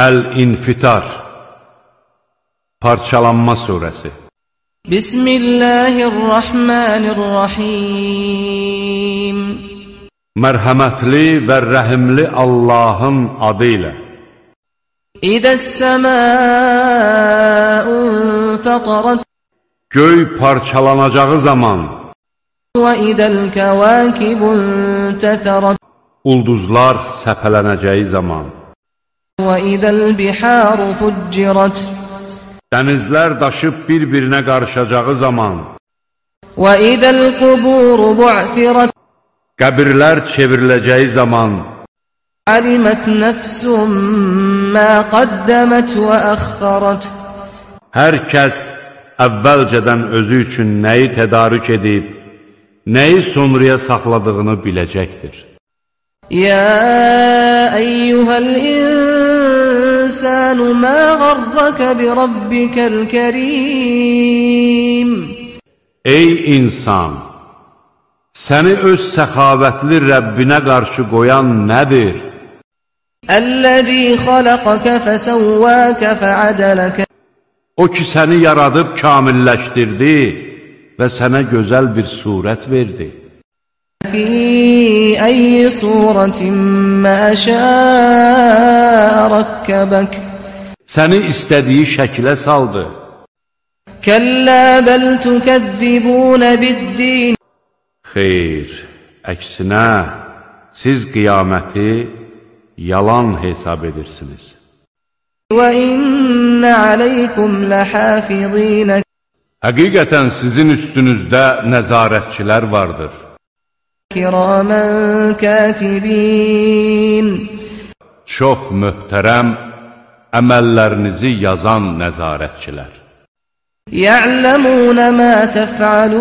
Əl-İnfitar Parçalanma surəsi. Bismillahirrahmanirrahim. Mərhəmətli və rəhimli Allahın adı ilə. İdəs-səmâ'u fatarat. Göy parçalanacağı zaman. Və idəl-kəvâkibu intəthərat. Ulduzlar səpələnəcəyi zaman. Və idəl-bihâru fuccirat. Dənizlər daşıb bir-birinə qarışacağı zaman. Və idəl-quburu bu'thirat. Qəbirlər çevriləcəyi zaman. Alimət nəfsum mə qaddəmət və əxxarat. Hər kəs əvvəlcədən özü üçün nəyi tədarük edib, nəyi sonraya saxladığını biləcəkdir. Ya eyyuhəl insanu mə qarrəkə bi rabbikəl kərim. Ey insan! Səni öz səxavətli Rəbbinə qarşı qoyan nədir? Əl-ləzi xaləqəkə fəsəvvəkə fəədələkə. O ki, səni yaradıb kamilləşdirdi və sənə gözəl bir surət verdi. Fī əyyi surətin mə şəə rəkkəbək. Səni istədiyi şəkilə saldı. Kəllə bəl tükəzzibunə biddin. Xeyr, əksinə, siz qiyaməti yalan hesab edirsiniz. Və innə aleykum ləhafizînə. Həqiqətən sizin üstünüzdə nəzarətçilər vardır. Kiramən kətibin. Çox möhtərəm əməllərinizi yazan nəzarətçilər. Ya'ləmunə mə təf'alun.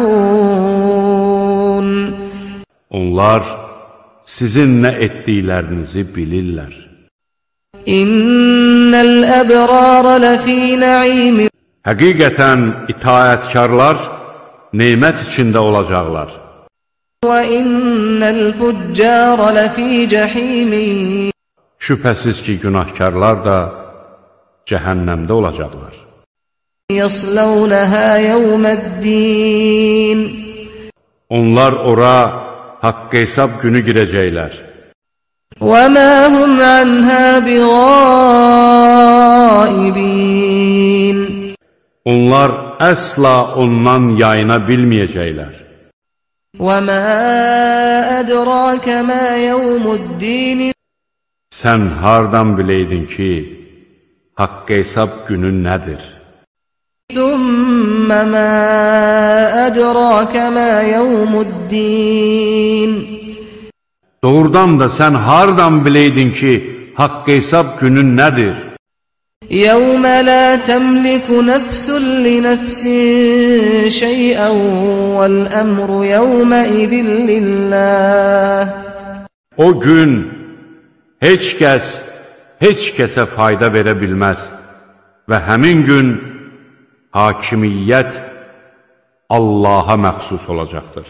Onlar sizin nə etdiklərinizi bilirlər. İnnəl əbrarə ləfī nə'im. Həqiqətən itaətkarlar nemət içində olacaqlar. Və innəl füccarə ləfī cəhîm. Şübhəsiz ki, günahkarlar da cəhənnəmdə olacaqlar. Yəsləvnəhə yevməddin. Onlar ora haqq hesab günü girəcəklər. Və mə hum anhə biğaibin. Onlar əsla ondan yayına bilməyəcəklər. Və mə ədrakə mə yevmuddin. Sən hardan biləydin ki, haqq hesab günü nədir? Thumma mə ədrakə mə yevmuddin. Doğrudan da sən hardan biləydin ki, haqq hesab günü nədir? Yevmə lə təmliku nəfsun li nəfsin şeyən vəl-əmru yevmə idin lilləh. O gün heç kəs heç kəsə fayda verə bilməz və həmin gün hakimiyyət Allaha məxsus olacaqdır.